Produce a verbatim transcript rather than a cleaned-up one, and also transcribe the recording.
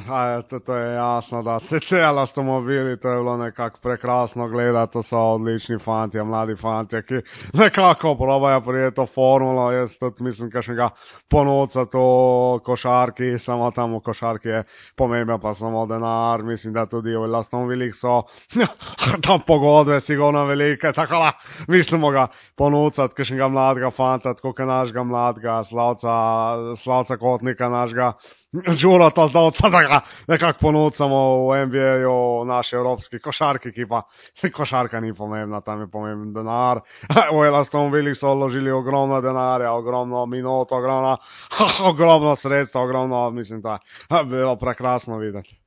A, to, to je jasno, da te cel avtomobili, to je bilo nekako prekrasno gledati, to so odlični fanti, mladi fanti, ki nekako probajo prijeti to formulo, jaz tudi mislim, kakšnega ponuca to košarki, samo tam v košarki je pomemben pa samo denar, mislim, da tudi v Aston Villah so tam pogodbe sigurno velike, tako da mislimo ga ponucati, kakšnega mladega fanta, tako kot našega mladega Slavca, Slavca Kotnika, našega Đuro Tozdovca, da ga nekako ponucamo v N B A-ju, v naši evropski košarki, ki pa košarka ni pomembna, tam je pomemben denar. V Aston Villah so vložili ogromno denarja, ogromno minut, ogromno, ogromno sredstva, ogromno, mislim, da je bilo prekrasno videti.